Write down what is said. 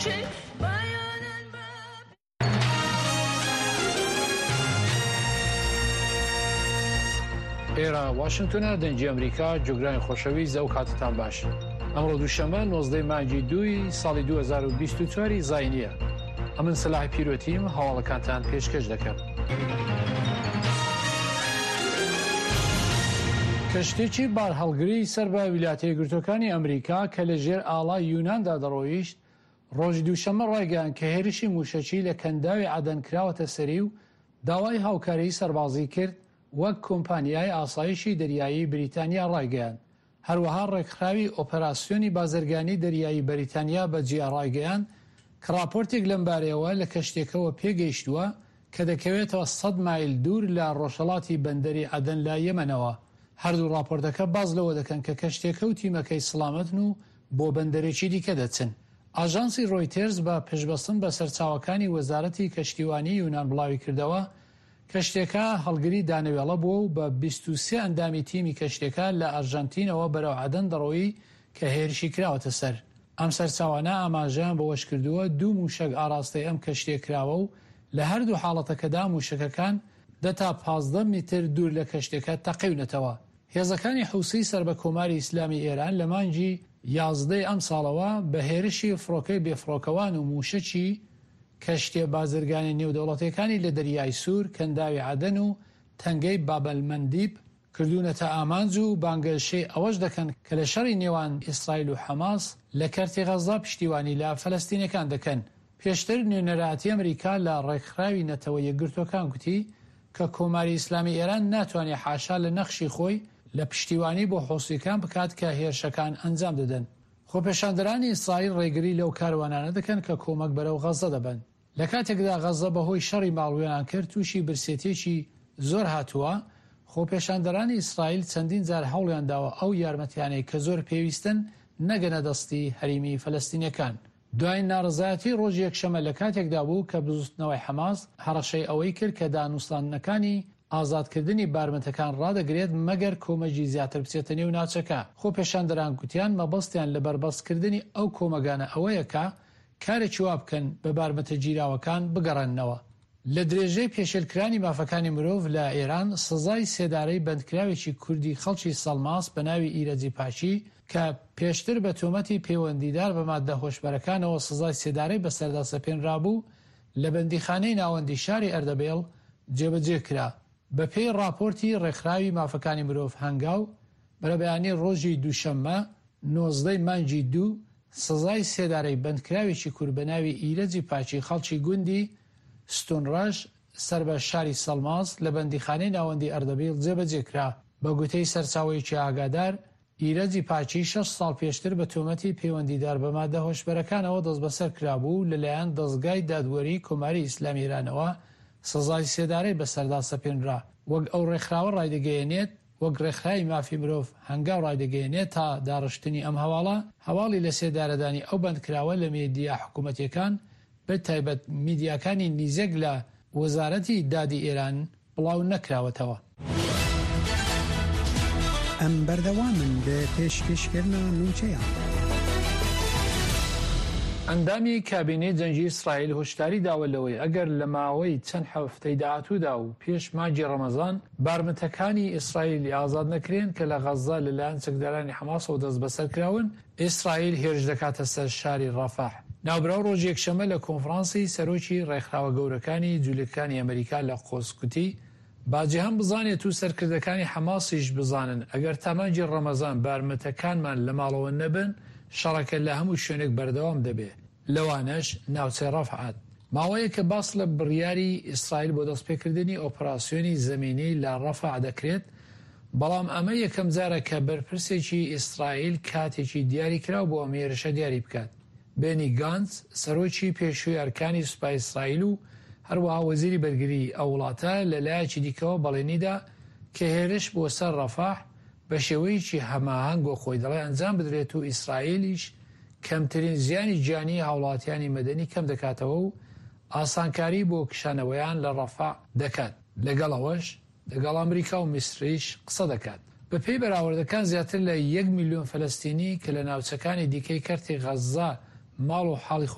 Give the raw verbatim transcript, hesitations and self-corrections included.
ئێرە واشنگتۆنە، دەنگی ئەمریکا، جوگرانی خۆشەویست، ئەو کاتتان باش. ئەمڕۆ دووشەممە نۆزدەی مانگی دووی ساڵی دوو هەزار و بیست و چوار زاینیە. ئەمن سەلاح پیرۆتیم، هەواڵەکانتان پێشکەش دەکەم. کەشتێکی بارهەڵگری سەر بە ویلایەتە یەکگرتووەکانی ئەمریکا کە لە ژێر ئاڵای یوناندا دەڕۆیشت، ڕۆژی دووشەممە ڕایگەیاند کە هێرشی مووشەکی لە کەنداوی عەدەن کراوەتە سەری و داوای هاوکاریی سەربازی کرد، وەک کۆمپانیای ئاسایشی دەریایی بریتانیا ڕایگەیاند. هەروەها ڕێکخراوی ئۆپەراسیۆنی بازرگانی دەریایی بەریتانیا بە جیا ڕایگەیاند کە ڕاپۆرتێک لەمبارەیەوە لە کەشتیەکەوە پێگەیشتووە کە دەکەوێتەوە سەد مایل دوور لە ڕۆژهەڵاتی بەندەری عەدەن لە یەمەنەوە. هەردوو ڕاپۆرتەکە باس لەوە دەکەن کە کەشتیەکە و تیمەکەی سڵامەتن و بۆ بەندەرێکی دیکە دەچن. ئاژانسی ڕۆیتێرز بە پشتبەستن بە سەرچاوەکانی وەزارەتی کەشتیوانی یونان بڵاویکردەوە، کەشتیەکە هەڵگری دانەوێڵە بووە و بە بیست و سێ ئەندامی تیمی کەشتیەکە لە ئەرژەنتینەوە بەرەو عەدەن دەڕۆیی کە هێرشی کراوەتە سەر. ئەم سەرچاوانە ئاماژەیان بەوەشکردووە، دوو مووشەک ئاراستەی ئەم کەشتیە کراوە و لە هەردوو حاڵەتەکەدا مووشەکەکان دە تا پازدە میتر دوور لە کەشتیەکە تەقیونەتەوە. هێزەکانی حوسی سەر بە کۆماری ئیسلامی ئێران لە مانگی یازدە ی ئەمساڵەوە بە هێرشی فڕۆکەی بێفڕۆکەوان و مووشەکی کەشتیە بازرگانیە نێودەوڵەتیەکانی لە دەریای سوور، کەنداوی عەدەن و تەنگەی بابەلمەندیب کردوونەتە ئامانج و بانگەشەی ئەوەش دەکەن کە لە شەڕی نێوان ئیسرائیل و حەماس لە کەرتی غەززە پشتیوانی لە فەلەستینیەکان دەکەن. پێشتر نوێنەرایەتی ئەمریکا لە ڕێکخراوی نەتەوە یەکگرتووەکان گوتی کە کۆماری ئیسلامی ئێران ناتوانێت حاشا لە نەخشی خۆی لە پشتیوانی بۆ حوسییەکان بکات کە هێرشەکان ئەنجام دەدەن. خۆپێشاندەرانی ئیسرائیل ڕێگری لەو کاروانانە دەکەن کە کۆمەک بەرەو غەززە دەبەن. لە کاتێکدا غەززە بەهۆی شەڕی ماڵوێرانکەر تووشی برسێتییەکی زۆر هاتووە، خۆپێشاندەرانی ئیسرائیل چەندین جار هەوڵیان داوە ئەو یارمەتیانەی کە زۆر پێویستن نەگەنە دەستی هەریمی فەلەستینیەکان. دوایین ناڕەزایەتی ڕۆژی یەکشەممە لە کاتێکدا بوو کە بزووتنەوەی حەماس هەڕەشەی ئەوەی کرد کە دانوستاندنەکانی ئازادکردنی بارمتەکان ڕادەگرێت مەگەر کۆمەکی زیاتر بچێتە نێو ناوچەکە. خۆپێشاندەران گوتیان مەبەستیان لە بەربەستکردنی ئەو کۆمەگانە ئەوەیە کە کارێکی وا بکەن بە بارمتە گیراوەکان بگەڕێننەوە. لە درێژەی پێشێلکرانی مافەکانی مرۆڤ لە ئێران، سزای سێدارەی بەندکراوێکی کوردی خەڵکی سەڵماس بە ناوی ئیرەجی پاکی کە پێشتر بە تۆمەتی پەیوەندیدار بە ماددە هۆشبەرەکانەوە سزای سێدارەی بەسەردا سەپێنرابوو، لە بەندیخانەی ناوەندی شاری ئەردەبێڵ جێبەجێ کرا. بەپێی ڕاپۆرتی ڕێکخراوی مافەکانی مرۆڤ هەنگاو، بەرەبەیانی ڕۆژی دووشەممە نۆزدە ی مانگی دوو، سزای سێدارەی بەندکراوێکی کورد بە ناوی ئیرەجی پاکی خەڵکی گوندی ستونڕەش سەر بە شاری سەڵماس لە بەندیخانەی ناوەندی ئەردەبیڵ جێبەجێ کرا. بە گوتەی سەرچاوەیەکی ئاگادار، ئیرەجی پاکی شەش ساڵ پێشتر بە تۆمەتی پەیوەندیدار بە مادە هۆشبەرەکانەوە دەستبەسەر کرابوو و لەلایەن دەزگای دادوەریی کۆماری ئیسلامی ئێرانەوە سزای سێدارەی بەسەردا سەپێنرا. وەک ئەو ڕێکخراوە ڕایدەگەیەنێت، وەک ڕێکخراوی مافی مرۆڤ هەنگاو ڕایدەگەیەنێت تا داڕشتنی ئەم هەواڵە، هەواڵی لەسێدارەدانی ئەو بەندکراوە لە میدیا حکوومەتییەکان بە تایبەت میدیاکانی نیزک لە وەزارەتی دادی ئێران بڵاو نەکراوەتەوە. ئەم بەردەوامن لە پێشکەشکردنا نوچەیان. ئەندامی کابینەی جەنگی ئیسرائیل هۆشداری داوە لەوەی ئەگەر لە ماوەی چەند هەفتەی داهاتوودا و پێش مانگی ڕەمەزان بارمتەکانی ئیسرائیلی ئازاد نەکرێن کە لە غەززە لەلایەن چەکدارانی حەماسەوە دەستبەسەرکراون، ئیسرائیل هێرش دەکاتە سەر شاری ڕەفەح. ناوبراو ڕۆژی یەکشەممە لە کۆنفرانسی سەرۆکی ڕێکخراوە گەورەکانی جولەکانی ئەمریکا لە قودس گوتی، با جیهان بزانێت و سەرکردەکانی حەماسیش بزانن ئەگەر تا مانگی ڕەمەزان بارمتەکانمان لە ماڵەوە نەبن، شەڕەکە لە هەموو شوێنێک بەردەوام دەبێ، لەوانەش ناوچەی ڕەفعەت. ماوەیەکە باس لە بڕیاری ئیسرائیل بۆ دەستپێکردنی ئۆپراسیۆنی زەمینی لە ڕەفەع دەکرێت، بەڵام ئەمە یەکەمجارە کە بەرپرسێکی ئیسرائیل کاتێکی دیاریکراو بۆ ئەم هێرشە دیاری بکات. بێنی گانتز، سەرۆکی پێشووی ئەرکانی سوپای ئیسرائیل و هەروەها وەزیری بەرگریی ئەو وڵاتە، لە لایەکی دیکەوە بەڵێنیدا کە هێرش بۆ سەر ڕەفەح بە شێوەیەکی هەماهەنگ وەک خۆی دەڵێ ئەنجام بدرێت و ئیسرائیلیش کەمترین زیانی گیانیی هاوڵاتیانی مەدەنی کەم دەکاتەوە و ئاسانکاری بۆ کشانەوەیان لە ڕەفەح دەکات، لەگەڵ ئەوەش لەگەڵ ئەمریکا و میسریش قسە دەکات. بەپێی بەراوردەکان زیاتر لە یەک ملیۆن فەلەستینی کە لە ناوچەکانی دیکەی کەرتی غەززە ماڵ و حاڵی